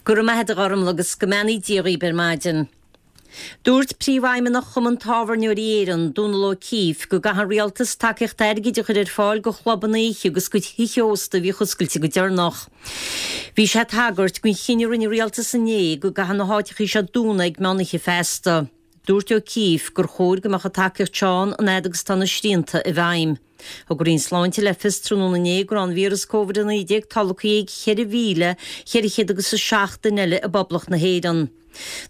Go raibh maith agat a Ghormlaith agus go mbeannaí Dia dhaoib ar maidin. Dúirt Príomhfheidhmeannach Chumann Tábhairneoirí Éireann, Dónal O'Keeffe, go gcaithfidh an Rialtas tacaíocht airgid a chur ar fáil go chlubanna oíche agus go thithe ósta a bhíodh oscailte go deireanach. Bhí sé ag tagairt don chinneadh a rinne an Rialtas inné go gcaithfidh na háiteachaí seo dúnadh ag meán oíche feasta. Dúirt O'Keeffe gur chóir go mbeadh an tacaíocht seo ann an fhad agus atá na srianta i bhfeidhm. Thug an Roinn Sláinte le fios tráthnóna inné go raibh an víreas Covid-19 tolgtha ag 4,400 agus 7 duine eile i bPoblacht na hÉireann.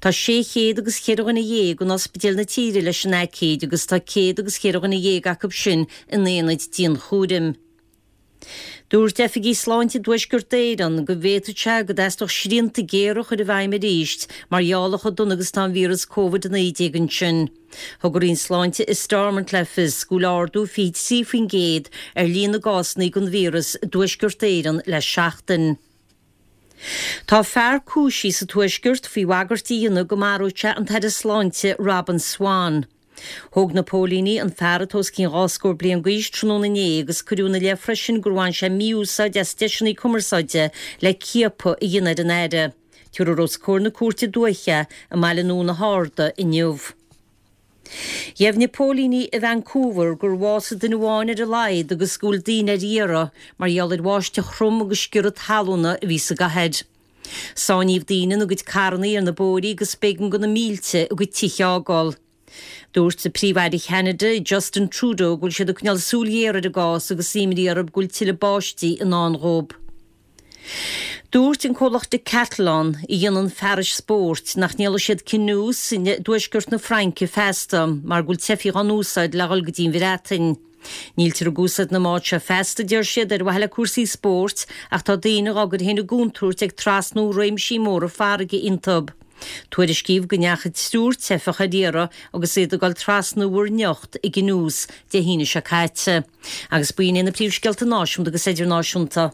Tá 600 agus cheithre dhuine dhéag in ospidéil na tíre leis an aicíd agus tá céad agus cheithre dhuine dhéag acu sin in aonaid dianchúraim. Dúirt oifigigh sláinte i dTuaisceart Éireann go bhféadfadh sé go dteastódh srianta géara a chur i bhfeidhm arís mar gheall ar chomh dona agus atá an víreas Covid-19 ansin. Thug an Roinn Sláinte i Stormont le fios go bhfuil ardú 23% ar líon na gcásanna den víreas i dTuaisceart Éireann le seachtain. Tá fear cúisithe sa Tuaisceart faoi bhagairt a dhéanamh go maródh sé an tAire Sláinte Robin Swann. Thóg na póilíní an fear atá os cionn dhá scór bliain d'aois tráthnóna inné agus cuireadh ina leith freisin gur bhain sé mí-úsáid as deiseanna cumarsáide le ciapadh a dhéanamh ar an Aire. Tabharfar os comhair na cúirte dúiche i mBaile Nua na hArda inniu. Dheimhnigh póilíní i Vancouver gur bhásaigh duine amháin ar a laghad agus go bhfuil daoine ar iarraidh mar gheall ar bháisteach throm agus sciorradh talúna a bhí sa gcathair. Sáinníodh daoine ina gcuid carrannaí ar na bóithrí agus b'éigean do na mílte a gcuid tithe a fhágáil. Dúirt Príomh-Aire Cheanada, Justin Trudeau, go bhfuil siad ag coinneáil súil ghéar ar an gcás agus imní orthu go bhfuil tuilleadh báistí i ndán dhóibh. Dúirt an comhlacht Decathlon, a dhéanann fearais spóirt, nach ndíolfaidh siad canoes i dtuaisceart na Fraince feasta mar go bhfuil teifigh á n-úsáid le dhul go dtí an Bhreatain. Níltear ag úsáid na mbád seo feasta, a deir siad, ar mhaithe le cúrsaí spóirt ach tá daoine dhá gcur féin i gcontúirt ag trasnú réimsí móra farraige iontu. Tuairiscíodh go ndeachaigh triúr teifeach ar iarraidh agus iad ag dul trasna Mhuir nIocht i gcanoes Dé hAoine seo caite. Agus b'in iad na príomhscéalta náisiúnta agus idirnáisiúnta.